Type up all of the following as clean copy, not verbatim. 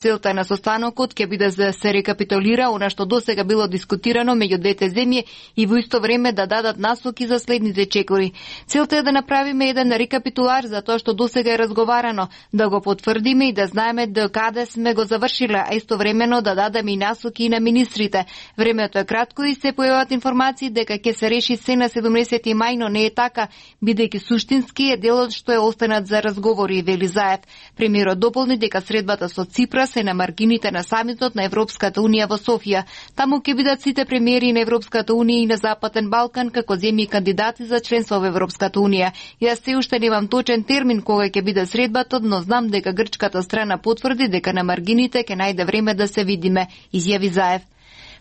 Целта на состанокот ќе биде да се рекапитулира она што досега било дискутирано меѓу двете земји и во исто време да дадат насоки за следните чекори. Целта е да направиме еден рекапитулар за тоа што досега е разговарано, да го потврдиме и да знаеме до каде сме го завршиле, а истовремено да дадеме и насоки на министрите. Времето е кратко и се појават информации дека ќе се реши се на 17 мај, но не е така, бидејќи суштински е делот што е останат за разговори, вели Заев. Премиерот дополни дека средбата со Ципрас е на маргините на самитот на Европската унија во Софија. Таму ќе бидат сите премиери на Европската унија и на Западен Балкан како земји кандидати за членство во Европската унија. Јас се уште немам точен термин кога ќе биде средбата, но знам дека грчката страна потврди дека на маргините ќе најде време да се видиме, изјави Заев.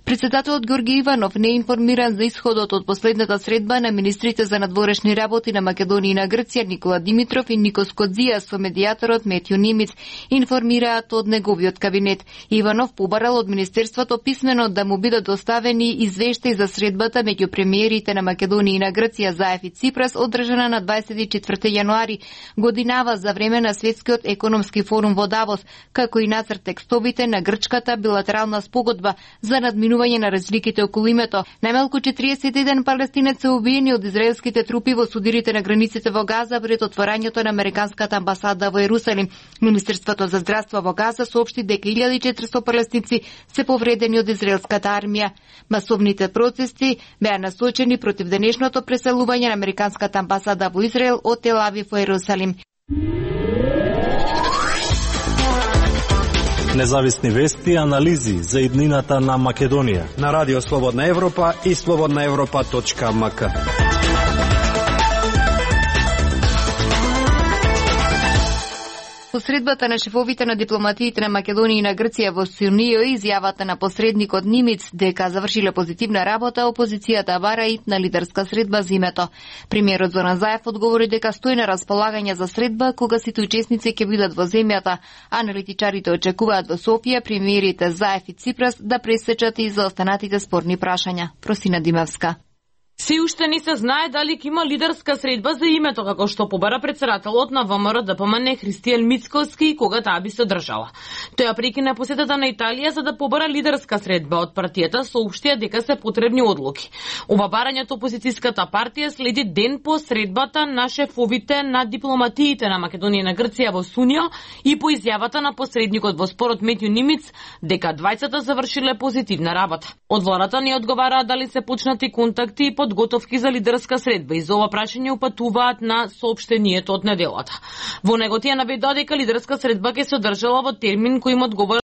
Председателот Ѓорги Иванов не е информиран за исходот од последната средба на министрите за надворешни работи на Македонија и на Грција Никола Димитров и Никос Кодзија со медијаторот Метју Нимиц, информираат од неговиот кабинет. Иванов побарал од министерството писмено да му бидат доставени извештаи за средбата меѓу премиерите на Македонија и на Грција Заев и Ципрас, одржана на 24 јануари годинава за време на Светскиот економски форум во Давос, како и нацрт текстовите на грчката билатерална спогодба за надминување на разликите околу името. Најмалку 41 палестинец се убиени од израелските трупи во судирите на границите во Газа пред отворањето на американската амбасада во Ерусалим. Министерството за здравство во Газа соопшти дека 1400 палестинци се повредени од израелската армија. Масовните протести беа насочени против денешното преселување на американската амбасада во Израел од Тел Авив во Ерусалим. Независни вести и анализи за иднината на Македонија на Радио Слободна Европа и slobodnaevropa.mk. По средбата на шефовите на дипломатиите на Македонија и на Грција во Сюнио, изјавата на посредникот Нимиц дека завршиле позитивна работа, опозицијата бара итна лидерска средба за името. Премиерот Зоран Заев одговори дека стои на располагање за средба кога сите учесници ќе бидат во земјата. Аналитичарите очекуваат во Софија премиерите Заев и Ципрас да пресечат и за останатите спорни прашања. Просина Димевска. Се уште не се знае дали ќе има лидерска средба за името, како што побара председателот на ВМРО ДПМН Христијан Мицкоски кога таа би се одржала. Тој прекина посетата на Италија за да побара лидерска средба од партијата, соопштија дека се потребни одлуки. Ова барање од опозицијската партија следи ден по средбата на шефовите на дипломатиите на Македонија и на Грција во Сунио и по изјавата на посредникот во спорот Метју Нимиц дека двајцата завршиле позитивна работа. Од владата не одговараа дали се почнати контакти и подготовки за лидерска средба и за ова прашање упатуваат на соопштението од неделата. Во него тие наведоа дека лидерска средба ќе се одржала во термин кој им одговара